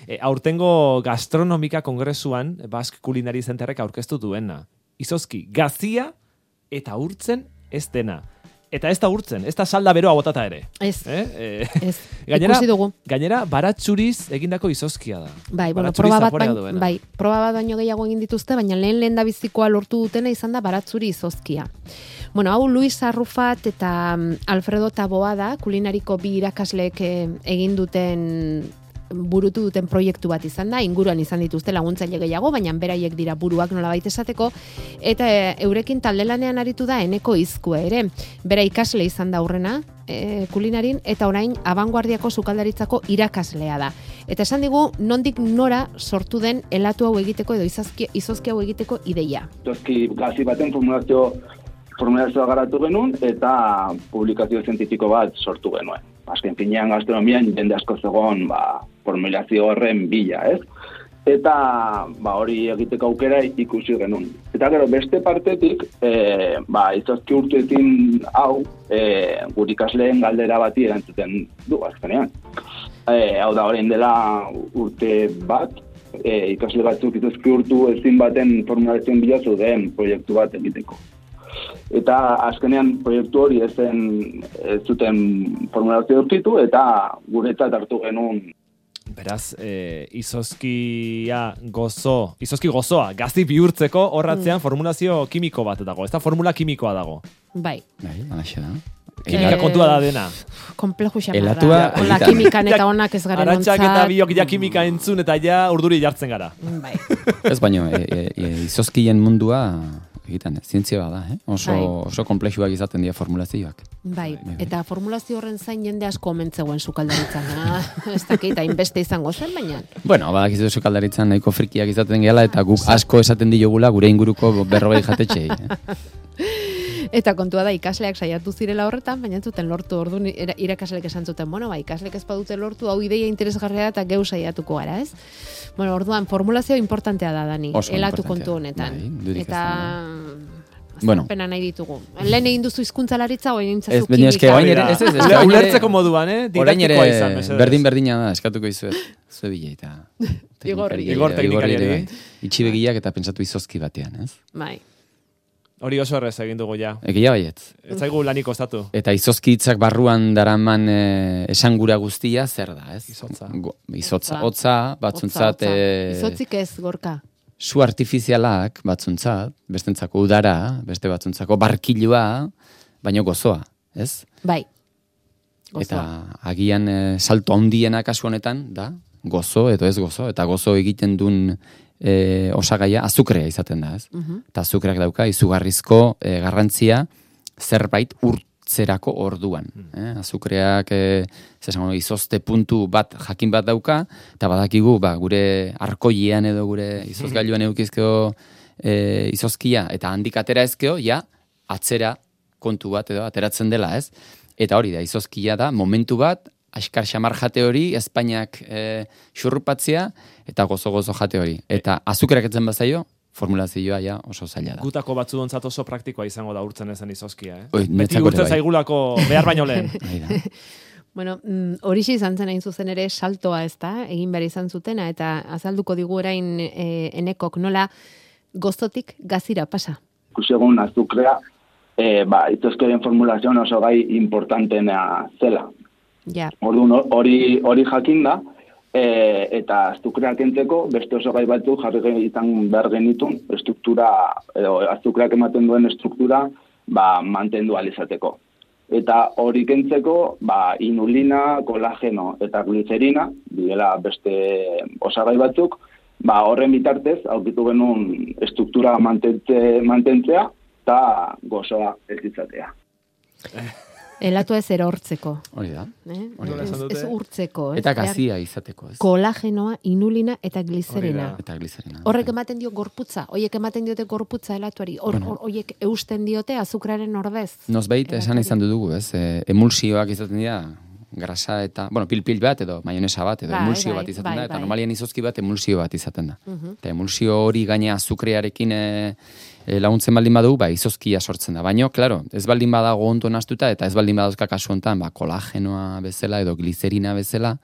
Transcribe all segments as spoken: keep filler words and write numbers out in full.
E, aurtengo gastronomika kongresuan Basque Culinary Centerrek aurkeztu duena. Izozki, gazia eta urtzen ez dena. Eta ez da urtzen, ez da salda beroa botata ere. Ez, eh? ez. Gainera, ikusi dugu. Gainera, baratzuriz egindako izozkia da. Bai, bueno, proba bat, bain, bai, proba bat baino gehiago egin dituzte, baina lehen lehen da bizikoa lortu dutena izan da baratzuri izozkia. Bueno, hau Luis Arrufat eta Alfredo Taboa da, kulinariko bi irakasleek egin duten burutu duten proiektu bat izan da, inguruan izan dituzte laguntzaile gehiago, baina beraiek dira buruak nolabait esateko, eta e, eurekin taldelanean aritu da Eneko Izkue ere. Bera ikasle izan da aurrena, e, kulinarin, eta orain abanguardiako sukaldaritzako irakaslea da. Eta esan digu, nondik nora sortu den helatu hau egiteko edo izozki, izozki hau egiteko ideia. Izozki gazi baten formulazio, formulazioa garatu genuen, eta publikazio zientifiko bat sortu genuen. Azken finean gastronomian jende asko zegoen ba, formulazio horren bila, ez? Eta ba, hori egiteko aukera ikusi genuen. Eta gero beste partetik, e, ba, izozki urtuetin hau, e, gure ikasleen galdera bati erantzuten du, azkenean. E, hau da, orain dela urte bat, e, ikasle batzuk izozki urtu ezin baten formulazioen bila zuden proiektu bat egiteko. Eta azkenean proiektu hori ezen ez zuten formulazio aurkitu eta guretzat hartu genuen. Beraz, e, izozkia gozo, izozki gozoa, gazi bihurtzeko horratzean mm. formulazio kimiko bat dago. Ez da formula kimikoa dago. Bai. Bai, alaxe da. Kimika e... kontua da dena. Kompleju xamar da. Ola kimikan eta onak ez garen ontzat. Arantxak eta biok ja kimika entzun eta ja urduri jartzen gara. Bai. Ez baino, e, e, e, izozkien mundua egiten, zientzia da, eh? Oso, oso komplexuak izaten dira formulazioak. Bai, eta formulazio horren zain jende asko omentzegoen sukaldaritzan. Ez dakit, hainbeste izango zen, baina. Bueno, badakizu sukaldaritzan nahiko frikiak izaten gehala eta guk asko esaten diogula gure inguruko berrogei jatetxei. Eta kontua da ikasleak saiatu zirela horretan, baina zuten lortu orduan irakasleek esan zuten, bueno, ba, ikasleek ez badute lortu, hau ideia interesgarria eta geu saiatuko gara, ez? Bueno, orduan, formulazio importantea da, Dani, elatu kontu honetan. Bai, eta... Bueno. Pena nahi ditugu. Lehen egin duzu hizkuntzalaritza o egin zazu kimika. Ez, eske orain ere, ez ez, ez. Ulertzeko moduan, eh? Orain ere berdin-berdina da, eskatuko izuet. Zue bile eta... Igorri. Igor teknikariari. Itxibegiak eta pentsatu izozki batean, ez? Bai. Hori oso errez egin dugu ja. Egia baiet. Ez zaigu laniko ostatu. Eta izozki hitzak barruan daraman e, esangura guztia zer da, ez? Izotza. Go, izotza. Hotza, batzuntzat... Otza, otza. Izotzik ez, Gorka. Su artifizialak batzuntzat, bestentzako udara, beste batzuntzako barkilua, baino gozoa, ez? Bai. Gozoa. Eta agian e, salto handiena kasu honetan, da, gozo edo ez gozo, eta gozo egiten duen E, osagaia azukrea izaten da, ez? Uh-huh. Eta azukreak dauka izugarrizko e, garrantzia zerbait urtzerako orduan. Eh? Azukreak e, zesango, izozte puntu bat jakin bat dauka, eta badakigu ba, gure arkoilean edo gure izozgailuan eukizkeo e, izozkia, eta handik atera ezkeo, ja, atzera kontu bat edo ateratzen dela, ez? Eta hori da, izozkia da, momentu bat, askar xamar jate hori, Espainiak e, xurrupatzea, eta gozo-gozo jate hori. Eta azukreak etzen bazaio, formulazioa ja oso zaila da. Gutako batzu dontzat oso praktikoa izango da urtzen ezen izozkia, eh? Oi, beti urtzen bai. Zaigulako behar baino lehen. Bueno, hori mm, izan zen hain zuzen ere saltoa ez da, egin behar izan zutena, eta azalduko digu orain e, Enekok nola gozotik gazira pasa. Kusegun azukrea, e, ba, izozkeren formulazioan oso gai importantena zela. Ja. Orduan hori hori jakin da, e, eta azukreak kentzeko beste oso gai batzuk jarri izan behar genitun estruktura, edo azukreak ematen duen estruktura ba, mantendu alizateko. Eta hori kentzeko ba, inulina, kolageno eta glicerina, direla beste osagai batzuk, ba, horren bitartez aurkitu genuen estruktura mantentze, mantentzea eta gozoa ez izatea. Elatua ez erortzeko. Hori da. Eh? Ez, ez urtzeko. Eta gazia izateko. Ez. Kolagenoa, inulina eta glicerina. Eta glicerina. Horrek ematen dio gorputza. Hoiek ematen diote gorputza elatuari. Hor, bueno. Hoiek eusten diote azukraren ordez. Nozbait esan izan dugu, ez? E, emulsioak izaten dira, grasa eta, bueno, pil-pil bat edo maionesa bat edo bai, emulsio bai, bat izaten bai, da. Eta bai. Normalian izozki bat emulsio bat izaten da. Uh-huh. Eta emulsio hori gaina azukrearekin e, e, laguntzen baldin badugu, ba, izozkia sortzen da. Baina, klaro, ez baldin badago ondo nastuta eta ez baldin badazka kasu honetan, ba, kolagenoa bezala edo glicerina bezala,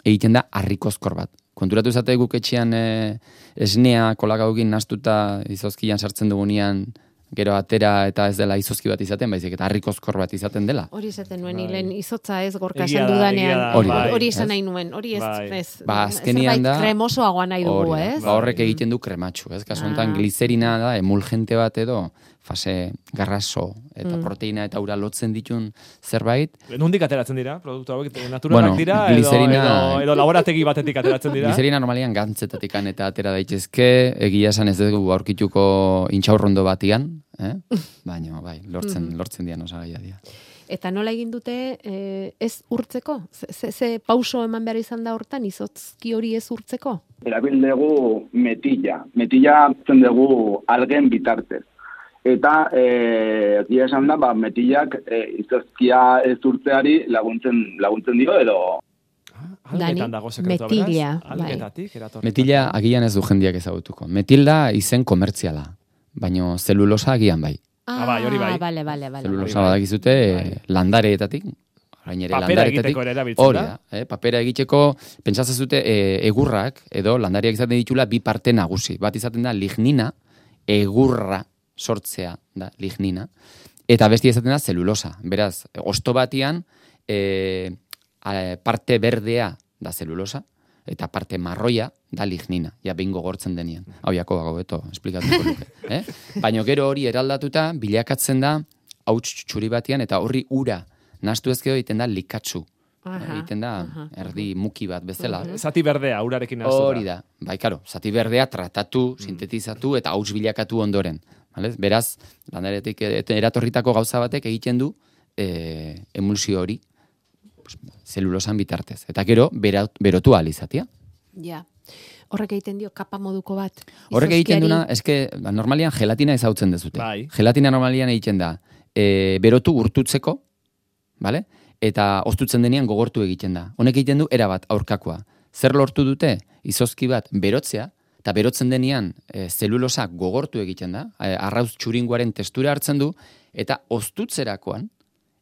egiten da harrikozkor bat. Konturatu zate guk etxean e, esnea kolakaukin nastuta izozkian sartzen dugunean, gero atera eta ez dela izozki bat izaten, baizik eta harrikozkor bat izaten dela. Hori izaten nuen, hilen izotza ez gorka esan dudanean. Hori izan nahi nuen, hori ez, ez. Ba, azkenian da. Kremosoagoa nahi dugu, ez? Ba, horrek egiten du krematxu, ez? Kasu honetan gliserina da, emulgente bat edo, fase garraso eta mm. proteina eta ura lotzen ditun zerbait. Nondik ateratzen dira? Produktu hauek naturalak bueno, dira edo, edo, edo laborategi batetik ateratzen dira? Gliserina normalian gantzetatik eta atera daitezke, egia esan ez dugu aurkituko intxaurrondo batian, eh? Baina, bai, lortzen, lortzen dian osagaia dira. Eta nola egin dute eh, ez urtzeko? Ze, ze pauso eman behar izan da hortan, izotzki hori ez urtzeko? Erabil dugu metilla. Metilla zen dugu algen bitartez. Eta, eh, egia esan da, ba, metillak eh, izozkia ez urtzeari laguntzen, laguntzen dio, edo... Dani, metilla. Metilla agian ez du jendiak ezagutuko. Metilda izen komertziala, baina zelulosa agian bai. Ah, bai, hori bai. Vale, vale, vale. Zelulosa badakizute landareetatik, orain ere landareetatik. Hori da, eh, papera egiteko, pentsatzen zute eh, egurrak, edo landariak izaten ditula bi parte nagusi. Bat izaten da lignina, egurra sortzea da lignina, eta beste izaten da zelulosa. Beraz, hosto batian eh, parte berdea da zelulosa, eta parte marroia da lignina, ja behin gogortzen denean. Hau jako dago, beto, esplikatuko luke. Eh? Baina gero hori eraldatuta, bilakatzen da, hauts txuri batian, eta horri ura, nastu ezkeo egiten da likatsu. Egiten da, aha, erdi muki bat bezala. Uh-huh. Zati berdea, urarekin nastu da. Hori da, bai, karo, zati berdea tratatu, mm. sintetizatu, eta hauts bilakatu ondoren. Vale? Beraz, landaretik eratorritako gauza batek egiten du e, emulsio hori, zelulosan bitartez. Eta gero, berotu alizatia. Ja. Horrek egiten dio kapa moduko bat. Horrek egiten duna, eske, normalian gelatina ezautzen dezute. Bai. Gelatina normalian egiten da, e, berotu urtutzeko, vale? Eta oztutzen denean gogortu egiten da. Honek egiten du, erabat aurkakoa. Zer lortu dute, izozki bat berotzea, eta berotzen denean e, zelulosa gogortu egiten da, e, arrauz txuringuaren testura hartzen du, eta oztutzerakoan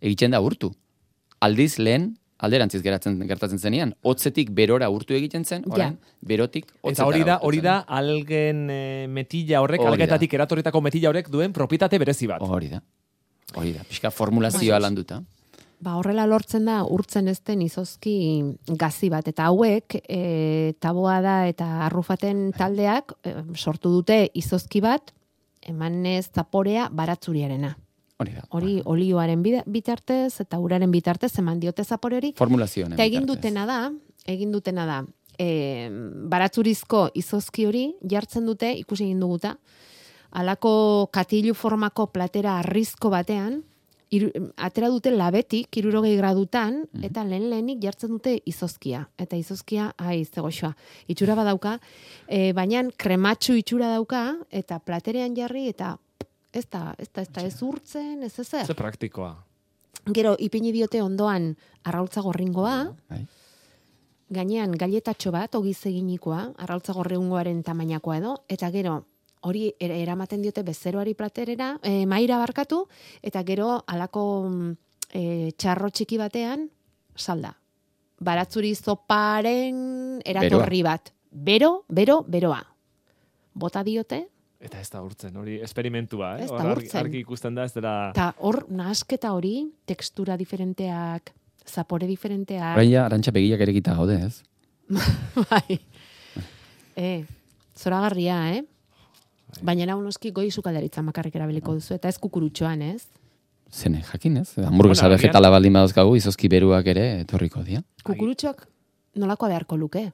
egiten da urtu. Aldiz lehen, alderantziz geratzen gertatzen zenean, hotzetik berora urtu egiten zen, orain, ja. Berotik hotzetara. Eta hori da, hori da algen e, metilla horrek, hori algetatik da. Eratorritako metilla horrek duen propietate berezi bat. Hori da, hori da, pixka formulazioa landuta. Ba, horrela lortzen da, urtzen ezten izozki gazi bat, eta hauek, e, taboa da eta arrufaten taldeak, e, sortu dute izozki bat, emanez zaporea baratzuriarena. Hori da. Hori olioaren bitartez eta uraren bitartez eman diote zapore hori. Formulazioen bitartez. Eta egin dutena da, egin dutena da, e, baratzurizko izozki hori jartzen dute, ikusi egin duguta, alako katilu formako platera arrizko batean, iru, atera dute labetik, hirurogei gradutan, mm-hmm. eta lehen lehenik jartzen dute izozkia. Eta izozkia, ai, zegoxoa, itxura badauka, e, baina krematxu itxura dauka, eta platerean jarri, eta ez da, ez da, ez da, ez urtzen, ez ezer. Ze praktikoa. Gero, ipini diote ondoan arraultza gorringoa, bai. Gainean gailetatxo bat, ogiz eginikoa, arraultza gorringoaren tamainakoa edo, eta gero, hori eramaten diote bezeroari platerera, e, maira barkatu, eta gero alako e, txarro txiki batean, salda. Baratzuri zoparen eratorri beroa. Bat. Bero, bero, beroa. Bota diote, eta ez da urtzen, hori esperimentua, eh? Ez da urtzen. Argi ikusten da, ez dela... Eta hor, nahasketa hori, tekstura diferenteak, zapore diferenteak... Horaia, arantxa begiak ere gita gaude, ez? Bai. E, zoragarria, eh? Baina nahu noski goi sukaldaritza makarrik erabiliko duzu, eta ez kukurutxoan, ez? Zene, jakin, ez? Hamburguesa bueno, vegetala baldin badazkagu, izozki beruak ere etorriko dira. Kukurutxoak nolakoa beharko luke?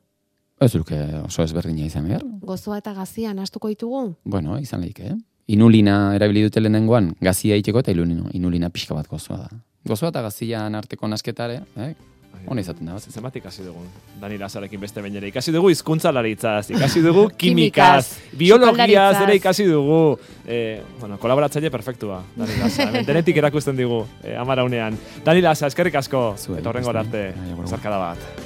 Ez luke oso ezberdina izan behar. Gozoa eta gazia nahastuko ditugu? Bueno, izan lehik, eh? Inulina erabili dute lehenengoan, gazia itxeko eta inulina, inulina pixka bat gozoa da. Gozoa eta gazian arteko nasketare, eh? Hona izaten da. Zemat ikasi dugu. Dani Lazarekin beste behin ere. Ikasi dugu hizkuntzalaritzaz, ikasi dugu kimikaz, biologiaz ere ikasi dugu. Eh, bueno, kolaboratzaile perfektua, Dani Laza. Denetik erakusten digu, eh, amaraunean. Dani Laza, eskerrik asko. Eta horrengo arte, zarkada bat.